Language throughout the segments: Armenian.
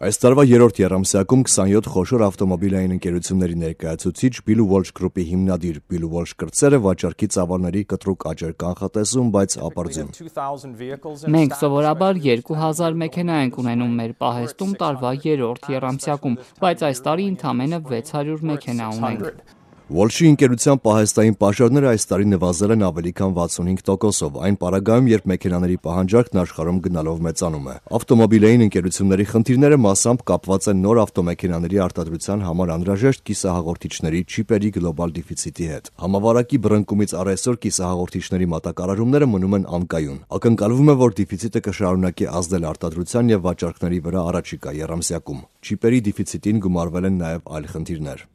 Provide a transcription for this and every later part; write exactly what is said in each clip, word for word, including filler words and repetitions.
Այս տարվա երրորդ եռամսյակում քսանյոթ խոշոր ավտոմոբիլային ընկերությունների ներկայացուցիչ Bill Walsh Group-ի հիմնադիր Bill Walsh կրտսերը վաճառքի ծավալների կտրուկ աճ էր կանխատեսում, բայց ապարդյուն։ Մենք սովորաբար երկու հազար մեքենա ենք ունենում մեր պահեստում տարվա երրորդ եռամսյակում, բայց այս տարի ընդամենը վեց հարյուր մեքենա ունենք։ Walsh-ի ընկերության պահեստային պաշարները այս տարի նվազել են ավելի քան վաթսունհինգ տոկոսով, այն պարագայում, երբ մեքենաների պահանջարկն աշխարհում գնալով մեծանում է։ Ավտոմոբիլային ընկերությունների խնդիրները մասամբ կապված են նոր ավտոմեքենաների արտադրության համար անհրաժեշտ կիսահաղորդիչների չիպերի գլոբալ դեֆիցիտի հետ։ Համավարակի բռնկումից առ այսօր կիսահաղորդիչների մատակարարումները մնում են անկայուն։ Ակնկալվում է, որ դեֆիցիտը կշարունակի ազդել արտադրության եւ վաճառքների վրա առաջիկա եռամսյակում։ Չիպերի դեֆիցիտին գումարվել են նաեւ այլ խնդիրներ։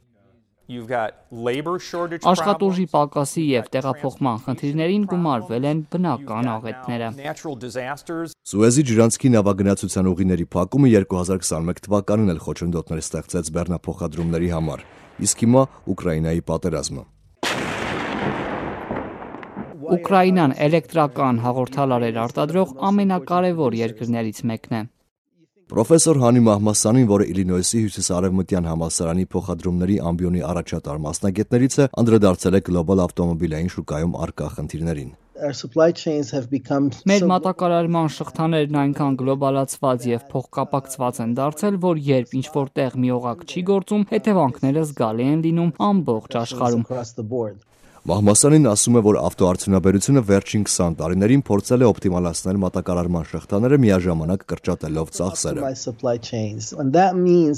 Աշխատուժի պակասի և տեղափոխման խնդիրներին գումարվել են բնական աղետները։ Սուեզի ջրանցքի նավագնացության ուղիների փակումը երկու հազար քսանմեկ թվականին էլ խոչընդոտներ ստեղծեց բեռնափոխադրումների համար, իսկ հիմա Ուկրաինայի պատերազմը։ Ուկրաինան էլեկտրական հաղորդալարեր արտադրող ամենակարևոր երկրներից մեկն է։ Պրոֆեսոր Hani Mahmassanin, որը Իլինոյսի հյուսիսարևմտյան համալսարանի փոխադրումների ամբիոնի առաջատար մասնագետներից է, անդրադարձել է գլոբալ ավտոմոբիլային շուկայում առկա խնդիրներին։ Մեր մատակարարման շղթաներն այնքան գլոբալացված և փոխկապակցված են դարձել, որ երբ ինչ-որ տեղ մի օղակ չի գործում, հետևանքները զգալի են լինում ամբողջ աշխարհում։ Մահմասյանին ասում է, որ ավտոարդյունաբերությունը վերջին քսան տարիներին փորձել է օպտիմալացնել մատակարարման շղթաները միաժամանակ կրճատելով ծախսերը։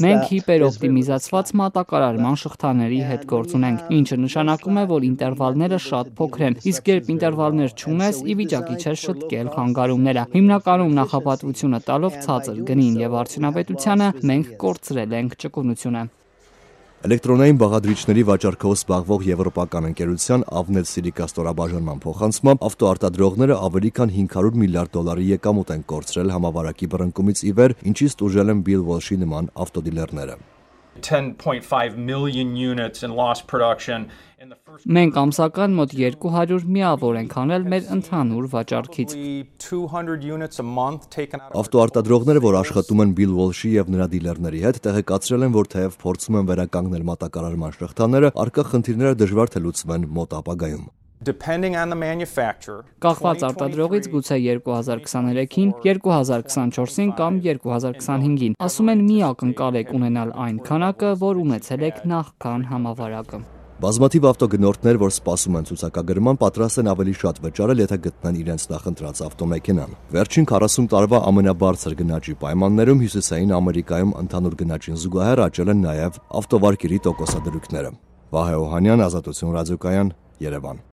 Մենք հիպերօպտիմիզացված մատակարարման շղթաների հետ գործ ունենք, ինչը նշանակում է, որ ինտերվալները շատ փոքր են, իսկ երբ ինտերվալներ չունես, ի վիճակի չես շտկել խանգարումները։ Հիմնականում նախապատվությունը տալով ցածր գնին և արդյունավետությանը մենք կորցրել ենք ճկունությունը։ Էլեկտրոնային բաղադրիչների վաճառքով զբաղվող եվրոպական ընկերության Avnet Silica ստորաբաժանման փոխանցմամբ ավտոարտադրողները ավելի քան հինգ հարյուր միլիարդ դոլարի եկամուտ են կորցրել համավարակի բռնկումից ի վեր, ինչից տուժել են Bill Walsh-ի նման ավտոդիլերները։ Մենք ամսական մոտ երկու հարյուր միավոր ենք անել մեր ընդհանուր վաճառքից։ Ավտոարտադրողները, որ աշխատում են Bill Walsh-ի եւ նրա դիլերների հետ, տեղեկացրել են, որ թեև փորձում են վերականգնել մատակարարման շղթաները, առկա խնդիրները դժվար թե լուծվեն մոտ ապագայում։ Կախված արտադրողից գուցե երկու հազար քսաներեքին, երկու հազար քսանչորսին կամ երկու հազար քսանհինգին, ասում են մի ակնկալ եք ունենալ այն քանակը, որ ունեցել եք նախքան համավարակը։ Բազմաթիվ ավտոգնորդներ, որ սպասում են ցուցակագրման, պատրաստ են ավելի շատ վճարել, եթե գտնեն իրենց նախընտրած ավտոմեքենան։ Վերջին քառասուն տարվա ամենաբարձր գնաճի պայմաններում Հյուսիսային Ամերիկայում ընդհանուր գնաճին զուգահեռ աճել են նաև ավտովարկերի տոկոսադրույքները։ Վահե Օհանյան, Ազատություն ռադիոկայան, Երևան։